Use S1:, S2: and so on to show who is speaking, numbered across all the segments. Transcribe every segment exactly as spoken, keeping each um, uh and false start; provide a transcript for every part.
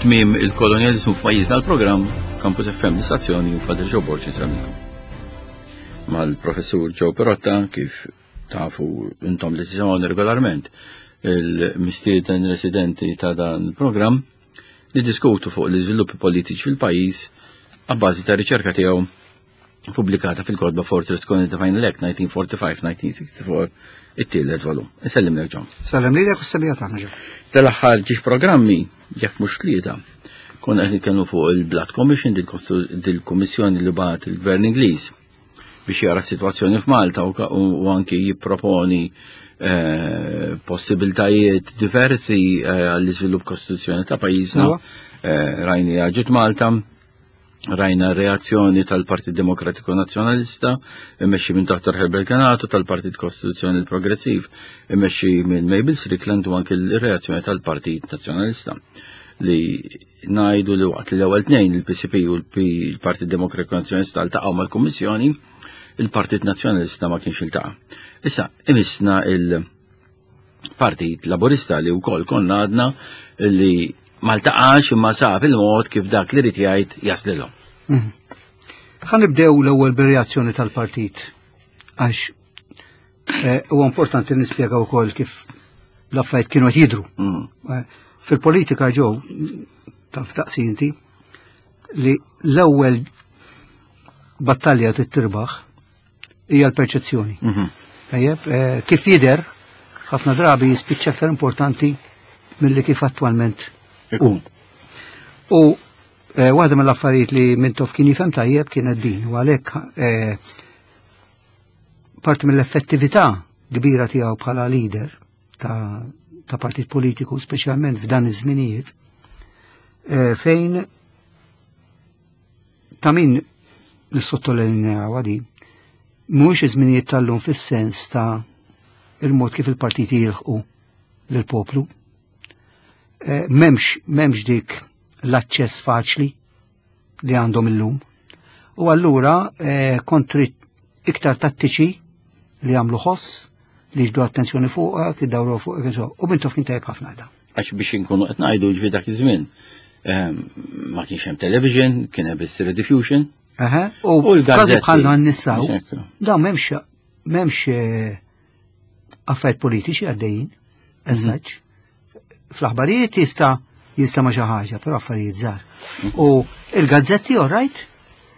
S1: Tmiem il-kolonjalizmu f'pajjiżna l-programm Campus F M l-istazzjoni u Father Joe Borg insellmilkom. Mal-professur Joe Pirotta, kif tafu intom li tisimgħu regolarment, il-mistieden residenti ta' dan il-programm, li diskutu fuq l-iżviluppi politiċi fil-pajjiż għabbażi ta' riċerka tiegħu pubblikata fil-kotba Fortress Colony the Final Act nineteen forty-five nineteen sixty-four, it-tielet volum. Insellim lek, John.
S2: Sellem lilek u s-semmiegħa tagħna, Joe.
S1: Tal-aħħar żewġ programmi, jekk mhux tlieta, konna qed nitkellmu fuq il-Blood Commission, dil-kummissjoni li bagħat il-Gvern Ingliż biex jara s-sitwazzjoni f'Malta u, u anki jipproponi eh, possibiltajiet diversi eh, għall-iżvilupp kostituzzjoni ta' pajjiżna. Eh, rajna ġiet Malta, rajna reazzjoni tal-Partit Demokratiku Nazzjonalista, immexxi minn Dottor Herbert Ganado, tal-Partit Kostituzzjoni Progressiv, immexxi minn Mabel Strickland, u anki l-reazzjoni tal-Partit Nazzjonalista li ngħidu li waqt li l-ewwel tnejn, il-P C P u l-Partit Demokratiku Nazzjonalista, ltaqgħu mal-Kummissjoni, il-Partit Nazzjonalista ma kienx iltaqa'. Issa imissna il-Partit Laburista li wkoll konna għadna li ma ltaqax imma sab il-mod kif dak li rid jgħid jaslilhom.
S2: Mhm. Ħa nibdew l-ewwel bir-reazzjoni tal-partit għax eh, huwa importanti nispjega wkoll kif l-affarijiet kienu qed jidru.
S1: Mm.
S2: Eh, Fil-politika ġew taf taqsi inti li l-ewwel battalja tittirbaħ hija l-perċezzjoni.
S1: Mhm.
S2: Tajjeb, eh, kif jidher ħafna drabi jispiċċa aktar importanti milli kif attwalment
S1: Ikun.
S2: U eh, waħda mill-affarijiet li Mintoff kien jifhem tajjeb kienet din, u għalhekk eh, parti mill-effettività kbira tiegħu bħala leader ta', ta' partit politiku, speċjalment f'dan iż-żminijiet, eh, fejn ta' min nissottolinjaw di, mhuwiex iż-żminijiet tal-lum fis-sens ta' il-mod kif il-partiti jilħqu lill-poplu. Eh, M'hemmx m'hemmx dik l-aċċess faċli li għandhom illum. U allura eh, kontri iktar tattiċi li għamlu ħoss, li jiġbdu attenzjoni fuqek, id-dawru fuqek, insomma. U Mintoff kien tajjeb ħafna da.
S1: Għax biex inkunu qed ngħidu ġifi dak iż-żmien ehm, ma kienx hemm television, kien hemm biss rediffusion.
S2: Aha, u
S1: U l-gazzetti.
S2: każi bħal dan nissaw,
S1: Ekku.
S2: da m'hemmx m'hemmx eh, affarijiet politiċi għaddejjin, eżatt. Fl-aħbarijiet jista' jista' ma xi ħaġa, però affarijiet żgħar. U il-gazzetti, all right,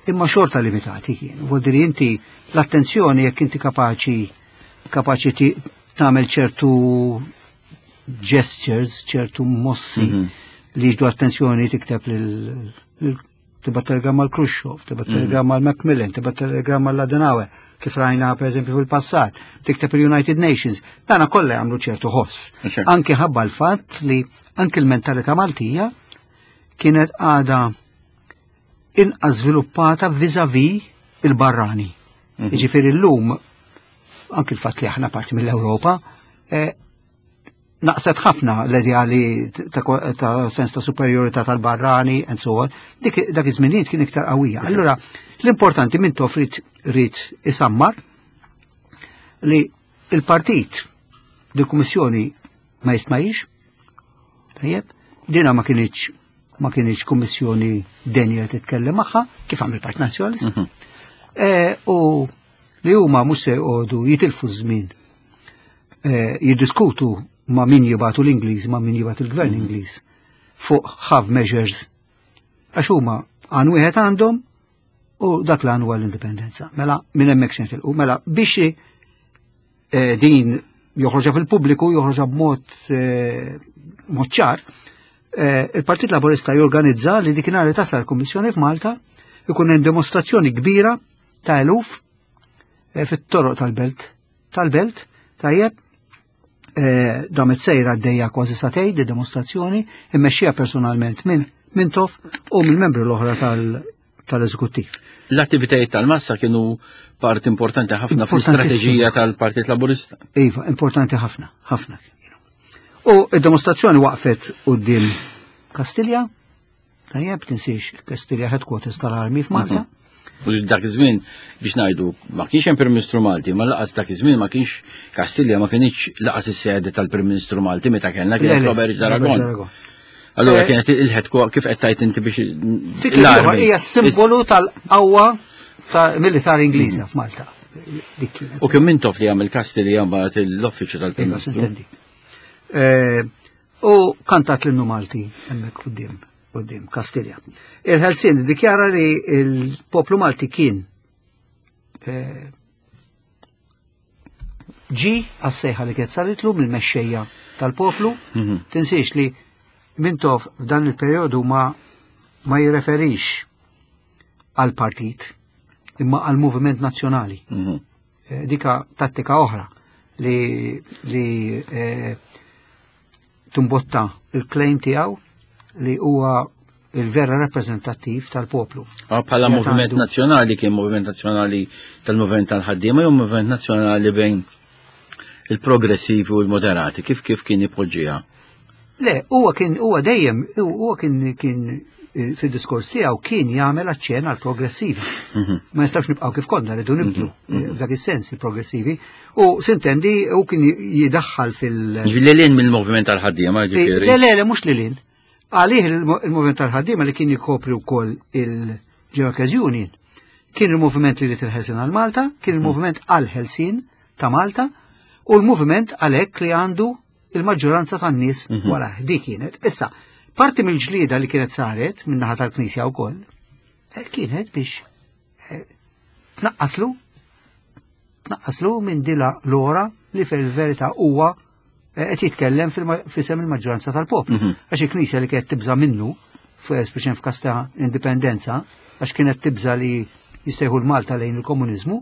S2: imma xorta limitati kienu. Vuol dire inti l-attenzjoni jekk inti kapaċi kapaċi ti- tagħmel ċertu gestures, ċertu mossi
S1: Mhm.
S2: li jiġbdu attenzjoni, tikteb lil lil- tibgħat telegramma l Khrushchev, tibgħat telegramma l Macmillan, tibgħat telegramma l Adenauer, kif rajna per eżempju fil-passat, tikteb il-United Nations, dana kollha jagħmlu ċertu ħoss.
S1: Ċertu.
S2: Anki ħabba l-fatt li anki l-mentalità Maltija kienet għada inqas żviluppata vis-a-vis il-barrani.
S1: Mhm.
S2: Jiġifieri llum anki l-fatt li aħna parti mill-Ewropa, eh, naqset ħafna l-ideali ta', ta sens ta' superiorità tal-barrani and so on. Dik dak iż-żminijiet kien iktar qawwija. Allura l-importanti Mintoff ried ried isammar li il-partit dil-kummissjoni ma jistmajx. Tajjeb, dina ma kienx ma kienx kummissjoni denja titkellem magħha kif għamel il-Partit Nazzjonalista.
S1: Mhm.
S2: Eh, u li huma mhux se jqogħdu jitilfu żmien eh, jiddiskutu ma' min jibatu l-Ingliż, ma' min jibatu l-gvern Ingliż fuq half measures. Għax huma għan wieħed għandhom u dak l huwa l-indipendenza. Mela minn hemmhekk se nitilqu. Mela biex eh, din joħroġha fil-pubbliku, joħroġha b'mod eh, mod ċar, eh, il-Partit Laburista jorganizza li dikinhar li tasal il-Kummissjoni f'Malta ikun hemm demostrazzjoni kbira ta' eluf eh, fit-toroq tal-belt. Tal-belt, tajjeb, eh, damet sejra għaddejja kważi sagħtejn di demostrazzjoni, immexxija personalment minn Mintoff u minn membri l-oħra tal- tal-eżekuttiv.
S1: L-attivitajiet tal-massa kienu part importanti ħafna fl-istrateġija tal-Partit Laburista.
S2: Iva, importanti ħafna, ħafna. U id-demostrazzjoni waqfet quddiem Kastilja, tajjeb, tinsiex Kastilja headquarters tal-armi f'Malta.
S1: U dak iż-żmien biex ngħidu ma kienx hemm Prim Ministru Malti, ma lanqas dak iż-żmien ma kienx Kastilja ma kienx lanqas is-sede tal-Prim Ministru Malti meta kellna kien
S2: Le, le,
S1: Robert Aragon.
S2: Aragon.
S1: Allura
S2: Eh,
S1: kienet il-ħedku kif qed tajt inti biex
S2: Fi kliem ieħor hija simbolu tal-qawwa ta' militari Ingliża f'Malta. Dik kienet.
S1: U kien Mintoff li għamel Kastilja mbagħad l-uffiċċju tal-Prim
S2: Iva,
S1: Ministru.
S2: sintendi. Eh, U kantat l-innu Malti hemmhekk quddiem quddiem Kastilja. Il-Ħelsien dikjara li il-poplu Malti kien eh, ġi għas-sejħa li kienet saritlu mill-mexxejja tal-poplu.
S1: Mhm.
S2: Tinsiex li Mintoff f'dan il-perjodu ma ma jirreferix għal partit imma għal moviment nazzjonali.
S1: Mhm.
S2: Eh, dika tattika oħra li, li eh, tumbotta il-claim tiegħu li huwa il-vera rappreżentattiv tal-poplu.
S1: Ah, Bħala
S2: Jgħat
S1: moviment
S2: għandu-
S1: nazzjonali kien moviment nazzjonali tal-moviment tal-ħaddiema jew moviment nazzjonali bejn il-progressivi u l-moderati, kif kif kien ipoġġiha?
S2: Le, huwa kien huwa dejjem huwa kien kien eh, fid-diskors tiegħu kien jagħmel aċċenn għal progressivi.
S1: Mhm.
S2: Ma nistax nibqgħu kif konna rridu nibdlu eh, f'dak is-sens il-progressivi. U sintendi u kien jidaħħal fil-
S1: Ġifieri lil hinn mill-moviment tal-ħaddiema, ġifieri.
S2: Le, le, le, mhux lil hinn. Għalih il-moviment tal-ħaddiema li kien jikopri wkoll il-Workers Union. Kien il-moviment li jrid il-ħelsien għal Malta, kien il-moviment għal-ħelsien ta' Malta, u l-moviment għalhekk li għandu il-maġġoranza tan-nies
S1: Mhm.
S2: wara dik kienet. Issa, parti mill-ġlieda li kienet saret minn naħa tal-Knisja wkoll, eh, kienet biex eh, tnaqqaslu tnaqqaslu minn dila l-ora li fil-verità huwa eh, qed jitkellem f'isem il-maġġoranza tal-poplu.
S1: Mhm.
S2: Għax il-Knisja li kienet tibża minnu, speċjalment f'każ ta' indipendenza, għax kienet tibża li jistejħu l-Malta lejn il-komuniżmu,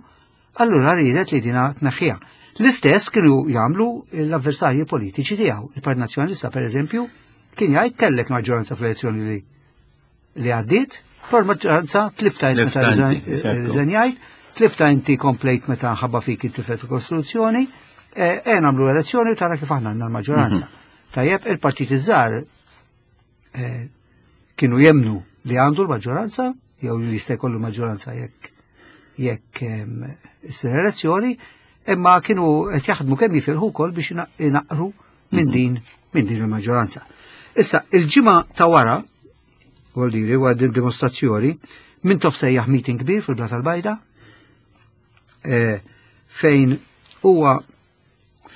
S2: allura riedet li dina tneħħiha. L-istess kienu jagħmlu l-avversarji politiċi tiegħu. Il-Partit Nazzjonalista, per eżempju, kien jgħid kellek maġġoranza fl-elezzjoni li li għaddiet, però l-maġġoranza tlifta int meta
S1: Tlifta inti, ekku.
S2: riżenjajt, tlifta inti komplejt meta ħabba fik intilfet il-Kostituzzjoni, e e nagħmlu elezzjoni u tara kif aħna għandna l-maġġoranza. Tajjeb, il-partit iż-żgħar eh, kienu jemnu li għandu l-maġġoranza, jew li jista' jkollu maġġoranza jekk jekk em, issir elezzjoni, imma kienu qed jaħdmu kemm jifilħu wkoll biex ina- inaqru minn din minn din il-maġġoranza. Issa, il-ġimgħa ta' wara, vuol dire, wara din dimostrazzjoni, Mintoff sejjaħ meeting kbir fil-Blata l-Bajda, eh, fejn huwa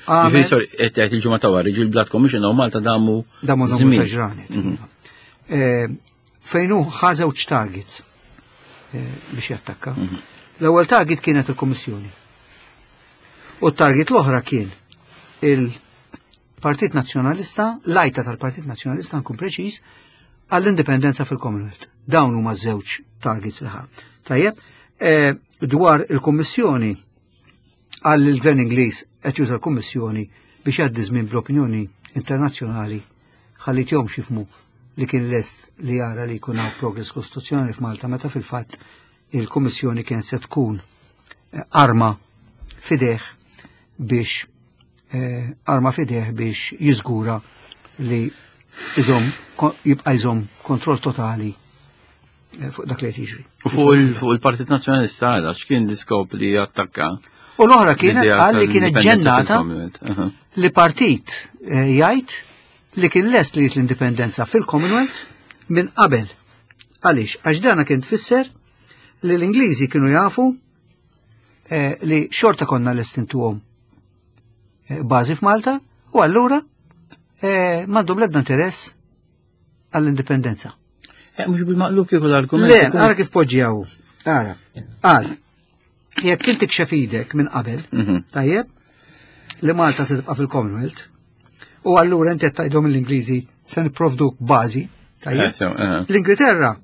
S1: Ġifieri,
S2: għamel
S1: sorry, qed tgħid il-ġimgħa ta' wara, ġi l-Blood Commission u Malta damu
S2: damu damu
S1: żmien.
S2: ġranet. Eh, Fejn hu ħa żewġ targets eh, biex jattakka. L-ewwel target kienet il-Kummissjoni. U t-target l-oħra kien il-Partit Nazzjonalista, l-għajta tal-Partit Nazzjonalista nkun preċiż, għall-indipendenza fil-Commonwealth. Dawn huma żewġ targets li ħa. Tajjeb, eh, dwar il-Kummissjoni għall il-Gvern Ingliż qed juża l-Kummissjoni biex jgħaddi żmien bl-opinjoni internazzjonali ħalli tjom jifhmu li kien lest li jara li jkun hawn progress kostituzzjonali f'Malta meta fil-fatt il-Kummissjoni kienet se tkun eh, arma f'idejh biex eh, arma f'idejh biex jiżgura li iżom jibqa' jżomm kontroll totali eh, fuq dak li qed jiġri.
S1: U fuq il- fuq il-Partit Nazzjonalista għala x'kien l-iskop li attakka?
S2: U l-oħra kienet
S1: L-idea
S2: qal li kienet
S1: tal-indipendenza
S2: ġennata
S1: fil-Commonwealth. Aha.
S2: li partit eh, jgħid li kien lest li jrid l-indipendenza fil-Commonwealth minn qabel. Għaliex, għax dana kien tfisser li l-Ingliżi kienu jafu eh, li xorta konna lest intuhom eh, bażi f'Malta u allura eh, m'għandhom l-ebda interess għall-indipendenza.
S1: Eh, Mhux bil-maqlub kieku l-argument.
S2: Le,
S1: ikun-
S2: ara kif poġġjaw. Ara, għal, jekk inti kxef idek minn qabel,
S1: Mhm.
S2: tajjeb, li Malta se tibqa' fil-Commonwealth, u allura inti qed tgħidhom l-Ingliżi se nipprovduk bażi, tajjeb.
S1: Eh, sew, eh.
S2: L-Ingilterra,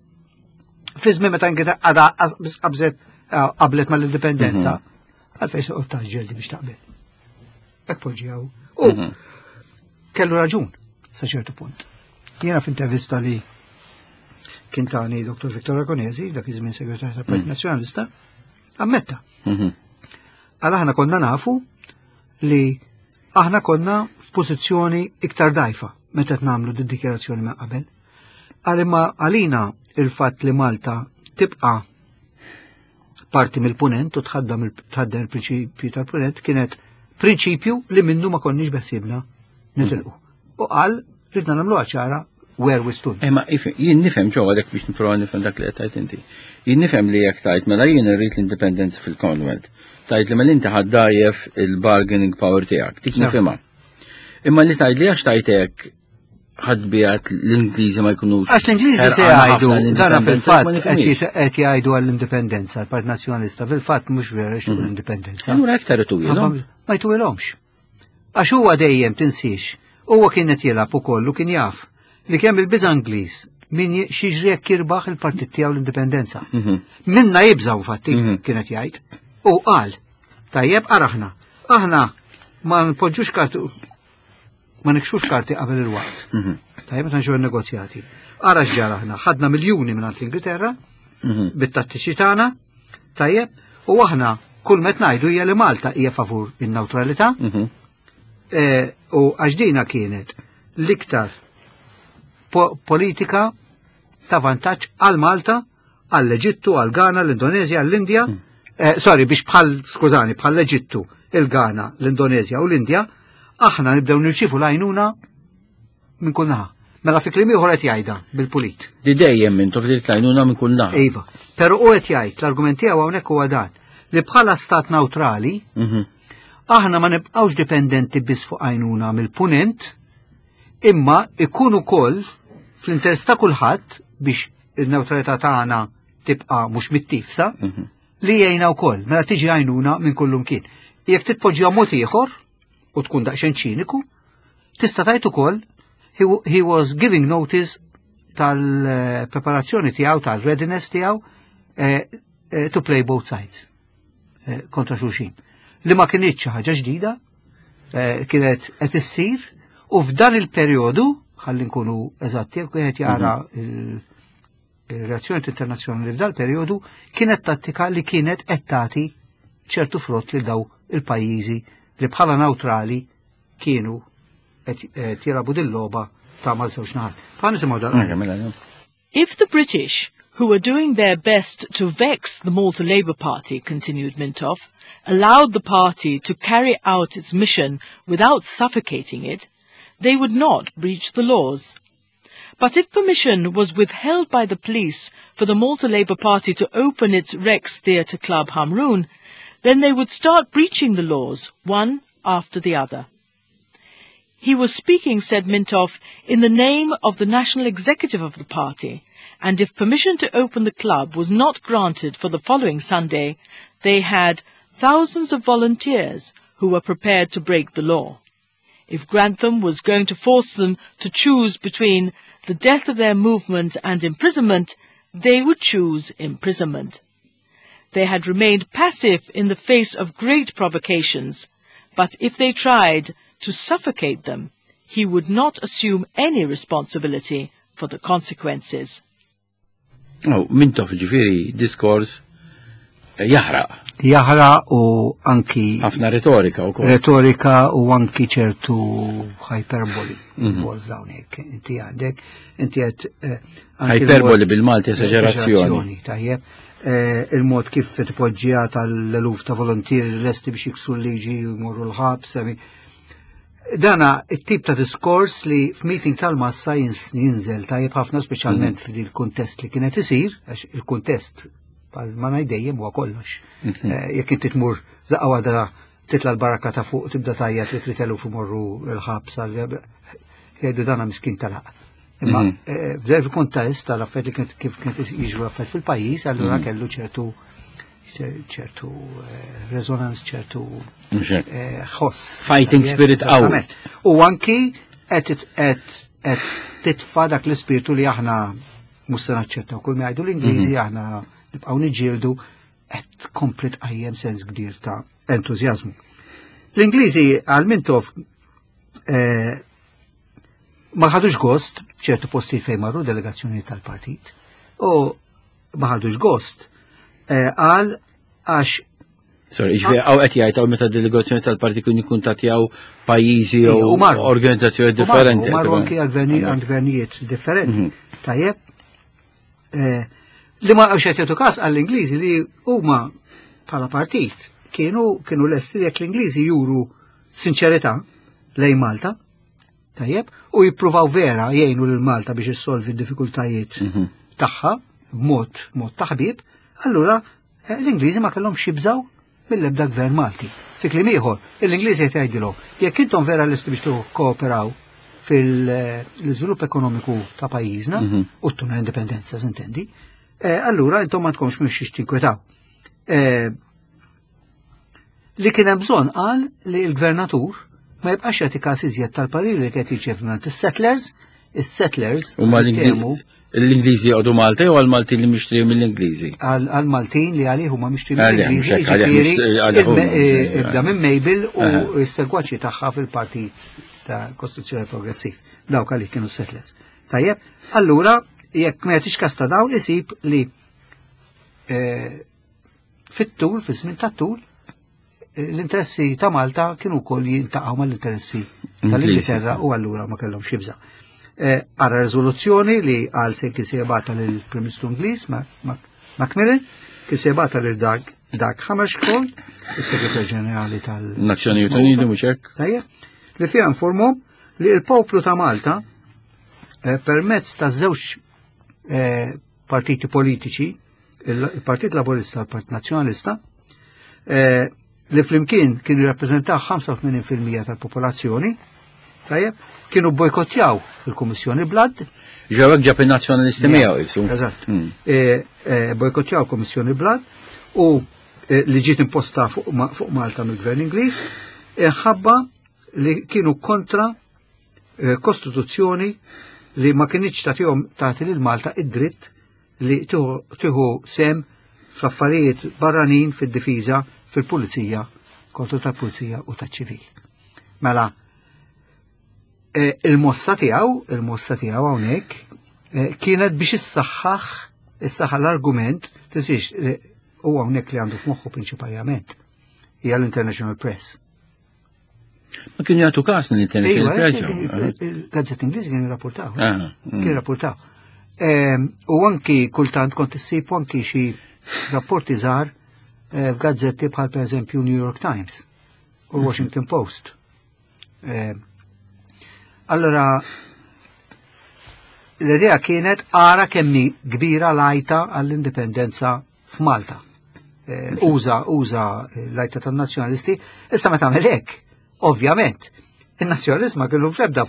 S2: fi żmien meta Ingilterra għadha qas- qabżet eh, qablet mal-indipendenza, għalfejn se qgħod taġġel biex taqbel. Hekk poġġjaw. U
S1: Mhm.
S2: kellu raġun sa ċertu punt. Jiena f'intervista li kien tani Dottor Victor Ragonesi, dak iż-żmien segretarju tal-Partit Nazzjonalista, ammetta.
S1: Mhm.
S2: Għal aħna konna nafu li aħna konna f'pożizzjoni iktar dajfa meta qed nagħmlu din dikjarazzjoni ma' qabel. Għal imma għalina il-fatt li Malta tibqa' parti mill-punent u tħaddam il- tħaddem il-prinċipju tal-punent kienet prinċipju li minnu ma konniex beħsibna nitilqu. U qal ridna nagħmluha ċara where we stood.
S1: Imma jien nifhem ġo għalhekk biex nipprova nifhem dak li qed tgħid inti. Jien nifhem li jekk tgħid mela jien irrid l-indipendenza fil-Commonwealth. Tgħid li mela inti ħa ddgħajjef il-bargaining power tiegħek, dik nifhimha. Imma li tgħid li għax tgħid hekk ħa tbiegħed l-Ingliżi ma jkunux.
S2: Għax l-Ingliżi se jgħidu, dana fil-fatt qed jgħidu għall-indipendenza, l-Partit Nazzjonalista fil-fatt mhux vera x'hu l-indipendenza.
S1: Allura iktar ituwilhom.
S2: Ma jtuwilhomx. Għax huwa dejjem tinsiex, huwa kien qed jilgħab ukoll u kien jaf li kemm il-biża' Ingliż min x'jiġri jekk jirbaħ il-partit tiegħu l-indipendenza. Minna jibżaw fatti kienet jgħid. U qal, tajjeb araħna, aħna ma npoġġux karti ma nikxux karti qabel il-waqt. Tajjeb meta nġew negozjati. Ara x'ġara aħna, ħadna miljuni minn l-Ingilterra bit-tattiċi tagħna, tajjeb, u aħna kull met ngħidu hija li Malta hija favur in-newtralità. U għax dina kienet l-iktar politika ta' vantaġġ għal Malta, għall-Eġittu, għal Ghana, l-Indonezja, l-Indja. Sorry, biex bħal, skużani, bħal l-Eġittu, il-Ghana, l-Indonezja u l-Indja, aħna nibdew nirċifu l-għajnuna minn kull naħa. Mela fi kliem ieħor qed jgħidha bil-pulit.
S1: Di dejjem minn tof l-għajnuna minn kull naħa.
S2: Iva. Però u qed jgħid l-argument tiegħu hawnhekk huwa dan li bħala stat neutrali aħna ma nibqgħux dipendenti biss fuq għajnuna mill-punent, imma ikun ukoll fl-interess ta' kulħadd biex il-neutralità tagħna tibqa' mhux mittifsa li jgħinna wkoll mela tiġi għajnuna minn kullum kien. Jekk titpoġġiha mod ieħor u tkun daqsxejn ċiniku, tista' tgħid ukoll he, he was giving notice tal-preparazzjoni tiegħu, tal-readiness tiegħu eh, eh, to play both sides eh, kontra xulxin. Li ma kinitx xi ħaġa ġdida, eh, kienet qed issir u f'dan il-perjodu, ħalli nkunu eżatti, jekk wieħed jara il-reazzjoni internazzjonali f'dal perjodu kienet tattika li kienet qed tagħti ċertu frott li daw il-pajjiżi li bħala neutrali kienu qed jilagħbu din-logħba ta' mal-żewġ naħat. Fa nisimgħu dal.
S3: If the British, who were doing their best to vex the Malta Labour Party, continued Mintoff, allowed the party to carry out its mission without suffocating it, they would not breach the laws. But if permission was withheld by the police for the Malta Labour Party to open its Rex Theatre Club Hamrun, then they would start breaching the laws, one after the other. He was speaking, said Mintoff, in the name of the national executive of the party, and if permission to open the club was not granted for the following Sunday, they had thousands of volunteers who were prepared to break the law. If Grantham was going to force them to choose between the death of their movement and imprisonment, they would choose imprisonment. They had remained passive in the face of great provocations, but if they tried to suffocate them, he would not assume any responsibility for the consequences.
S1: Oh, Mintoff ġifieri diskors jaħraq.
S2: Jaħraq u anki
S1: ħafna retorika u
S2: Retorika u anki ċertu hyperboli. Mm hawnhekk inti għandek, inti qed
S1: Hyperboli bil-Malti esagerazzjoni.
S2: Tajjeb. Il-mod kif tpoġġija tal-eluf ta' volontieri lesti biex jiksru l-liġi u jmorru l-ħabs. Dana it-tip ta' diskors li f'meeting tal-massa jinżel tajjeb ħafna speċjalment f'dil kuntest li kienet isir, għax il-kuntest ma ngħid dejjem huwa kollox. Jekk inti tmur daqqa waħda titla l-baraka ta' fuq tibda tgħajjat li trid eluf imorru l-ħabs jgħidu dana miskin talaq. Imma f'dan il-kuntest tal-affarijiet li kif kienet jiġru affarijiet fil-pajjiż, allura kellu ċertu ċertu resonance, ċertu ħoss.
S1: Fighting spirit qawwi.
S2: U anki qed titfa' dak l-ispirtu li aħna mhux se naċċettaw kull ma jgħidu l-Ingliżi aħna nibqgħu niġġieldu qed kompli tqajjem sens kbir ta' entużjażmu. L-Ingliżi għal Mintoff ma ħadux gost ċertu postijiet fejn marru delegazzjoni tal-partit u ma ħadux gost għal għax
S1: Sorry, ġifieri hawn qed jgħid hawn meta delegazzjoni tal-partit kun jikkuntattjaw pajjiżi u organizzazzjoni differenti.
S2: U marru anki għal gvernijiet differenti. Tajjeb, li ma qed jagħtu każ għall-Ingliżi li huma bħala partit kienu kienu lesti jekk l-Ingliżi juru sinċerità lejn Malta, tajjeb, u jippruvaw vera jgħinu lil Malta biex issolvi d-diffikultajiet
S1: Mhm.
S2: tagħha b'mod mod taħbib, allura eh, l-Ingliżi ma kellhomx jibżaw mill-ebda gvern Malti. Fi kliem ieħor, l-Ingliżi qed jgħidilhom, jekk intom vera lesti biex kooperaw fil-iżvilupp ekonomiku ta' pajjiżna
S1: Mhm.
S2: u ttuna indipendenza, s'intendi, eh, allura intom ma tkomx minn xiex tinkwetaw. Eh, Li kien hemm bżonn qal li l-gvernatur ma jibqax jagħti każ iżjed tal-pariri li qed jirċiev minn is-settlers, is-settlers
S1: U ma
S2: jitkellmu
S1: l-Ingliżi jgħodu Malta jew għal-Malti li mixtri mill-Ingliżi?
S2: għal għal Maltin li għalih huma mixtri
S1: Għalih,
S2: mill-Ingliżi,
S1: mhux hekk, għalih
S2: jiġifieri
S1: mhux- għalih huma,
S2: il- eh, ibda minn Mabel u
S1: Aha.
S2: s-segwaċi tagħha fil-partit ta' Kostituzzjoni Progressiv. Dawk għalih kienu settlers. Tajjeb, allura jekk ma jagħtix kas ta' dawn isib li eh, fit-tul, fis-żmien tat-tul, eh, l-interessi ta' Malta kienu wkoll jintaqgħu mal-interessi tal-Ingilterra u allura ma kellhomx jibża'. Eh, Ara riżoluzzjoni li għal se kien se jibgħatha lill-Prim Ministru Ingliż Macmillan, kien se jibgħatha lil Dag Dag Hammarskjöld, is-Segretarju Ġenerali tal-
S1: Nazzjonijiet Uniti mhux hekk?
S2: Tajjeb, li fiha informhom li l-poplu ta' Malta eh, permezz ta' żewġ eh, partiti politiċi, il-Partit Laburista u l-Partit Nazzjonalista, eh, li flimkien kienu jirrappreżentaw ħamsa u tmenin fil-mija tal-popolazzjoni, tajjeb, kienu bojkottjaw il-Kummissjoni Blood.
S1: Ġewek ġab il-nazzjonalisti miegħu jisu.
S2: Eżatt.
S1: Mm.
S2: Eh, eh, Bojkottjaw il-Kummissjoni Blood u eh, li ġiet imposta fuq Ma- fuq Malta mill-Gvern Ingliż, ħabba li kienu kontra eh, kostituzzjoni li ma kinitx tagħtihom tagħti lil Malta id-dritt li tieħu tieħu sem fl-affarijiet barranin, fid-difiża, fil-pulizija, kontra tal-pulizija u taċ-ċivil. Mela, eh, il-mossa tiegħu, il-mossa tiegħu hawnhekk eh, kienet biex issaħħaħ issaħħaħ l-argument, tinsiex eh, u hawnhekk li għandu f'moħħu prinċipalment hija l-International Press.
S1: Ma kienu jagħtu każ l-International
S2: Iva,
S1: Press.
S2: il- il-gazzetti Ingliżi kienu jirrapportaw.
S1: Ah, mm.
S2: Kienu jirrapportaw. Ehm, U anki kultant kont issib anki xi rapporti żgħar eh, f'gazzetti bħal pereżempju New York Times u Washington Post. Ehm, Allora, l-idea kienet ara kemmi kbira l-għajta għall-indipendenza f'Malta. Eh, Uża, uża l-għajta tan-nazzjonalisti, issa meta tagħmel hekk, ovvjament, il-nazzjonalizmu kellu fl-ebda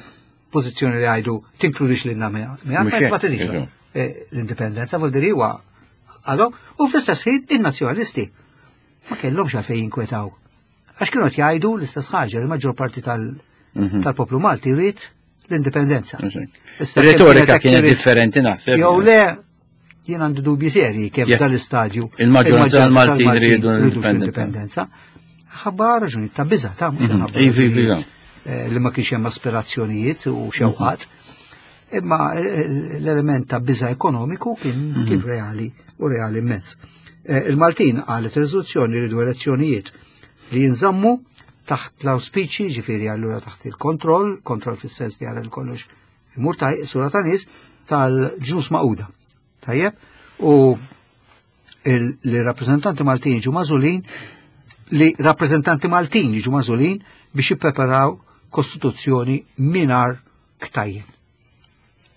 S2: pożizzjoni li għajdu tinkludix lilna
S1: Mhux
S2: ma
S1: hekk,
S2: tridx
S1: eżatt.
S2: eh, l-indipendenza, vuol dire huwa għadhom, u fl-istess ħin in-nazzjonalisti ma kellhomx għalfejn jinkwetaw. Għax kienu qed jgħidu l-istess ħaġa, li maġġor parti tal-
S1: Mhm.
S2: tal-poplu Malti jrid l-indipendenza.
S1: Mhux hekk.
S2: Issa kemm
S1: Retorika
S2: kienet
S1: kienet
S2: trid-
S1: differenti naħseb.
S2: Jew le, jien għandi dubji serji kemm
S1: Jekk
S2: dal-istadju
S1: il-maġġoranza tal-Maltin riedu l-indipendenza.
S2: l-indipendenza. Ħabba raġuni ta' biża' ta' mhux
S1: Mhm.
S2: ħabba
S1: Iva, iva, iva.
S2: raġunijiet, eh, li ma kienx hemm aspirazzjonijiet u xewqat. Imma eh, l-element ta' biża' ekonomiku kien kien reali u reali immens. Eh, Il-Maltin qalet riżoluzzjoni rridu elezzjonijiet li jinżammu taħt l-auspiċi, ġifieri allura taħt il-kontroll, kontroll fis-sens li għara l-kollox imur taj, sura ta' nies tal-Ġnus Magħquda. Tajjeb? U il- li rappresentanti Maltin ġu magħżulin li rappresentanti Maltin jiġu magħżulin biex jippreparaw kostituzzjoni mingħajr ktajjen.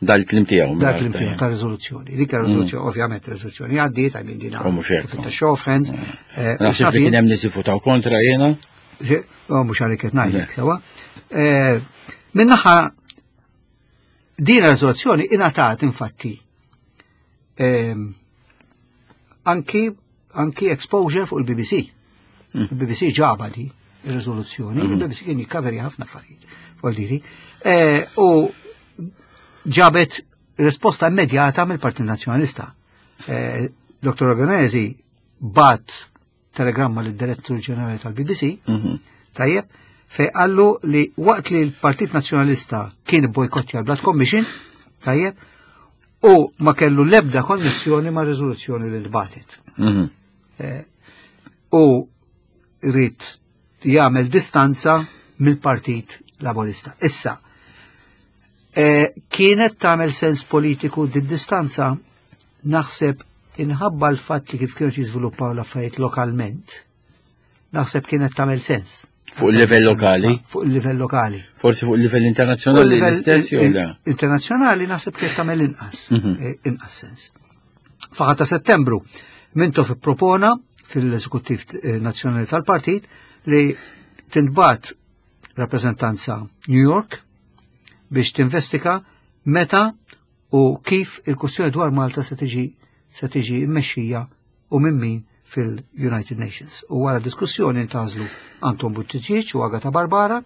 S1: Dal-kliem tiegħu.
S2: Dak l-impiegħ ta' riżoluzzjoni. Dik riżoluzzjoni, ovvjament, riżoluzzjoni għaddiet, għajmin dina.
S1: U mhux hekk.
S2: Ta' show of hands. eh,
S1: Naħseb li kien hemm nies jivvutaw kontra jiena.
S2: Oh, mhux għalik qed ngħidlek, sewa. Eh, Min-naħa din riżoluzzjoni ingħatat infatti ehm, anki anki exposure fuq il-B B C. Il-B B C ġaba di il-riżoluzzjoni, il-B B C kien jikkaveri ħafna affarijiet fuq diri. Eh, U ġabet risposta immedjata mill-Partit Nazzjonalista. Eh, Doktor Ragonesi bagħat telegramma lid-Direttur Ġenerali tal-B B C,
S1: Mhm.
S2: tajjeb, fej qallu li waqt li l-Partit Nazzjonalista kien bojkottja l-Blood Commission, tajjeb, u ma kellu lebda konnessjoni ma' riżoluzzjoni li ntbagħtet.
S1: Mhm.
S2: U ried jagħmel distanza mill-Partit Laburista. Issa, eh, kienet tagħmel sens politiku di distanza, naħseb inħabba l-fatt li kif kienu jiżviluppaw l-affarijiet lokalment, naħseb kienet tagħmel sens.
S1: Fuq il-livell lokali?
S2: Fuq il-livell lokali.
S1: Forsi fuq il-livell internazzjonali l-istess jew le?
S2: Internazzjonali naħseb li tagħmel inqas, mhm. eh, inqas sens. Fl-aħħar ta' Settembru, Mintoff ippropona fil-Eżekuttiv eh, Nazzjonali tal-Partit li tintbagħat rappreżentanza New York biex tinvestiga meta u kif il-kwestjoni dwar Malta se tiġi se tiġi mmexxija u minn min fil-United Nations. U wara diskussjoni ntgħażlu Anton Buttigieg u Agata Barbara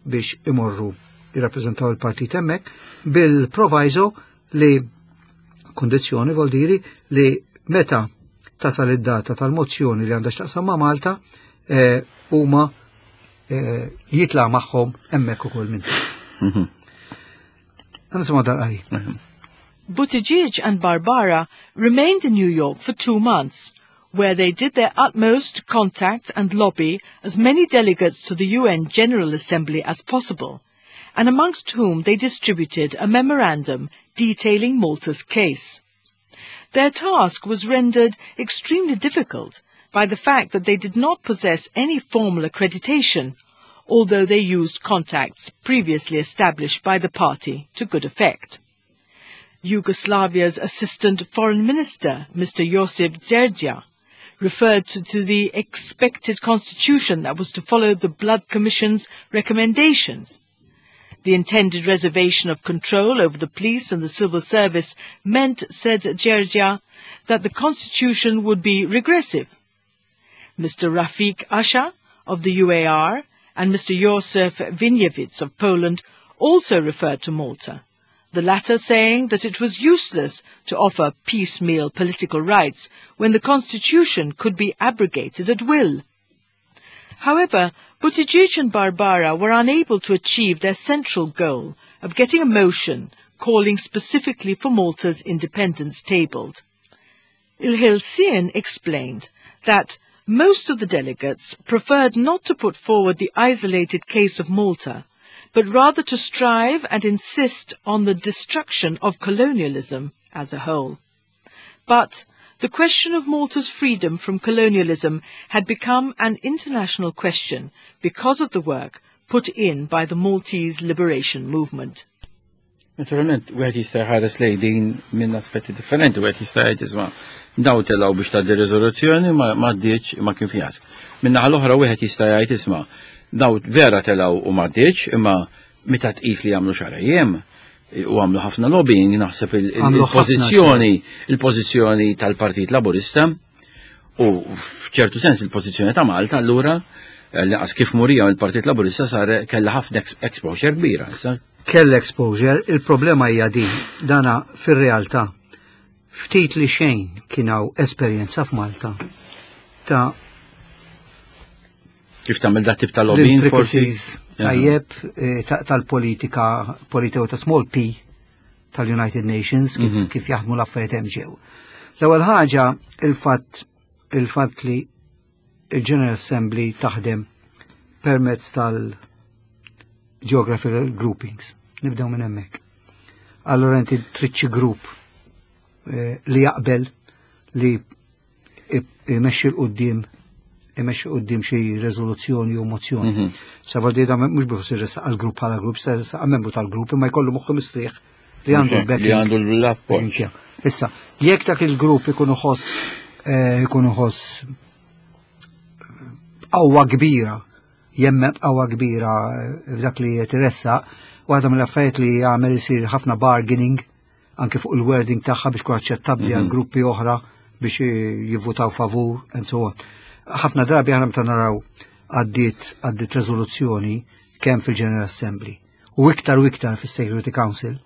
S2: biex imorru jirrappreżentaw il-partit hemmhekk bil-proviso li kondizzjoni vuol li meta tasal id-data tal-mozzjoni li għandha x'taqsam ma' Malta eh, huma eh, jitla' magħhom hemmhekk ukoll minn. Mhm. Nisimgħu dal-qari.
S1: Mhm.
S3: Buttigieg and Barbara remained in New York for two months, where they did their utmost to contact and lobby as many delegates to the UN General Assembly as possible, and amongst whom they distributed a memorandum detailing Malta's case. Their task was rendered extremely difficult by the fact that they did not possess any formal accreditation, although they used contacts previously established by the party to good effect. Yugoslavia's Assistant Foreign Minister, Mr. Josip Gjergja, referred to, to the expected constitution that was to follow the Blood Commission's recommendations. The intended reservation of control over the police and the civil service meant, said Gjergja, that the constitution would be regressive. Mr. Rafiq Asha of the UAR and Mr. Josef Winiewicz of Poland also referred to Malta, the latter saying that it was useless to offer piecemeal political rights when the constitution could be abrogated at will. However, Buttigieg and Barbara were unable to achieve their central goal of getting a motion calling specifically for Malta's independence tabled. Il-Ħelsien explained that most of the delegates preferred not to put forward the isolated case of Malta, but rather to strive and insist on the destruction of colonialism as a whole. But the question of Malta's freedom from colonialism had become an international question because of the work put in by the Maltese liberation movement.
S1: Naturalment, wieħed jista' jħares lejn din minn aspetti differenti, wieħed jista' jgħid isma' daw telgħu biex tgħaddi riżoluzzjoni ma għaddietx ma kien fjask. Min-naħa l-oħra wieħed jista' jgħid isma' daw vera telgħu u ma għaddietx imma meta tqis li għamlu xahrejn u għamlu ħafna lobbying naħseb il-pożizzjoni il-pożizzjoni tal-Partit Laburista u f'ċertu sens il-pożizzjoni ta' Malta allura l-qas kif murija il-Partit Laburista sar kella ħafna exposure kbira. issa.
S2: Kell exposure, il-problema hija din, dana fir-realtà ftit li xejn kien hawn esperjenza f'Malta ta'
S1: Kif tagħmel dat tip ta' lobbying forsi?
S2: l-intricacies tajjeb eh, ta- tal-politika, politika ta' small p tal-United Nations, kif,
S1: Mhm.
S2: kif jaħdmu l-affarijiet hemm ġew. L-ewwel ħaġa il-fatt il-fatt li il-General Assembly taħdem permezz tal-geographical groupings. Nibdew minn hemmhekk. Allora inti trid xi grupp eh, li jaqbel li imexxi 'l quddiem imexxi quddiem xi riżoluzzjoni u mozzjoni.
S1: Mhm.
S2: Sa da mhux biex ressaq għal grupp bħala grupp, sa ressaq membru tal-grupp imma jkollu moħħu mistrieħ li għandu l-backing.
S1: Li għandu l-appoġġ.
S2: Issa, jekk dak il-grupp ikun ħoss eh, ikun ħoss qawwa kbira, jemmen qawwa kbira eh, f'dak li qed iressaq, waħda mill-affarijiet li jagħmel isir ħafna bargaining anke fuq il-wording tagħha biex tkun aċċettabbli għal gruppi oħra biex jivvutaw favur and so on. Ħafna drabi aħna meta naraw għaddiet għaddiet rezoluzzjoni kemm fil-General Assembly u iktar u iktar fis-Security Council,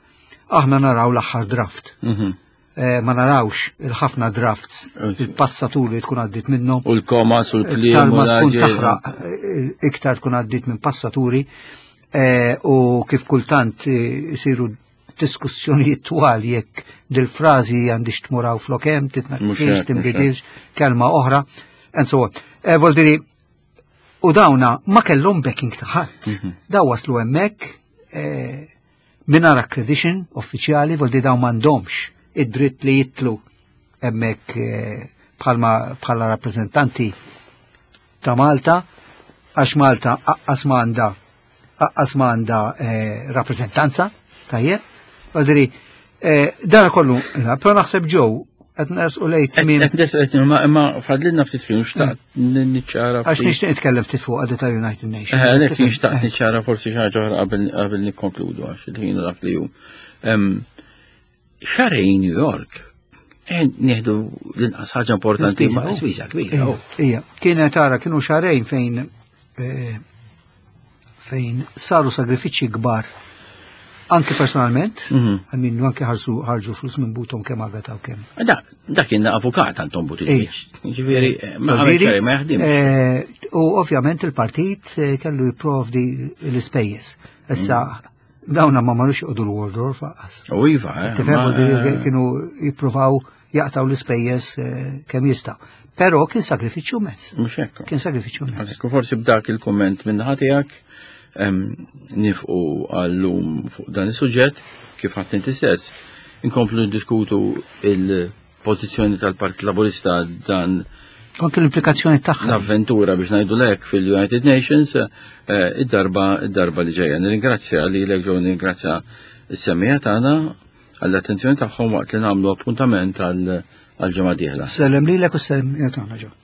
S2: aħna naraw l-aħħar draft.
S1: Mhm.
S2: Eh, ma narawx il-ħafna drafts,
S1: Ok.
S2: il-passaturi li tkun għaddit minnhom.
S1: U l-komas u l-kliem
S2: Iktar
S1: u
S2: ma tkun
S1: l-ħaġa.
S2: taħraq, eh, iktar tkun għaddit minn passaturi eh, u kif kultant eh, isiru diskussjonijiet twal jekk dil-frażi għandix tmuraw flokem,
S1: Mhux
S2: titnaqqix,
S1: hekk, mhux
S2: tinbidilx, kelma oħra, and so on. Eh, Vuol u dawna ma kellhom backing ta' ħadd.
S1: Mhm.
S2: Daw waslu hemmhekk eh, mingħajr accreditation uffiċjali, vuol daw m'għandhomx id-dritt li jitlu hemmhekk eh, bħalma bħala rappreżentanti ta' Malta Għax Malta aqqas m'għandha aqqas m'għandha eh, rappreżentanza, tajjeb. Għadri, eh, dan kollu, però naħseb ġew qed nersqu lejn tmiem.
S1: Imma fadlilna ftit ħin xtaqt niċċara.
S2: Għax nixtieq nitkellem ftit fuq għadu ta' United Nations.
S1: Eh, għalhekk nixtaqt niċċara forsi xi ħaġa oħra qabel nikkonkludu għax il-ħin dak li hu. Xahrejn New York, nieħdu l-inqas ħaġa importanti ma' spiża kbira.
S2: Ija, kienet tara kienu xahrejn fejn fejn saru sagrifiċċji kbar anke personalment, għammin anke ħarsu ħarġu flus minn butom kemm Agata u kemm.
S1: Da, da kien avukat Anton Buttigieg. Ġifieri, ma ma jaħdimx.
S2: U ovvjament il-partit kellu jipprovdi l-ispejjeż. Issa dawna ma marrux joqogħdu l-Waldorf aqas.
S1: U iva,
S2: Tifhem kienu jippruvaw jaqtaw l-ispejjeż kemm jistgħu. Però kien sagrifiċċju mezz.
S1: Mhux hekk.
S2: Kien sagrifiċċju mezz.
S1: Forsi b'dak il-komment minn tiegħek nifqu għallum fuq dan is-suġġett kif ħadd inti stess. Inkomplu ndiskutu il-pożizzjoni tal-Partit Laburista dan
S2: anke l-implikazzjoni tagħha.
S1: L-avventura biex ngħidu lek fil-United Nations id-darba id-darba li ġejja. Nirringrazzja lilek ġew nirringrazzja s-semmiegħa tagħna għall-attenzjoni tagħhom waqt li nagħmlu appuntament għal ġimgħa dieħla.
S2: Sellem lilek u s-semmiegħa tagħna ġew.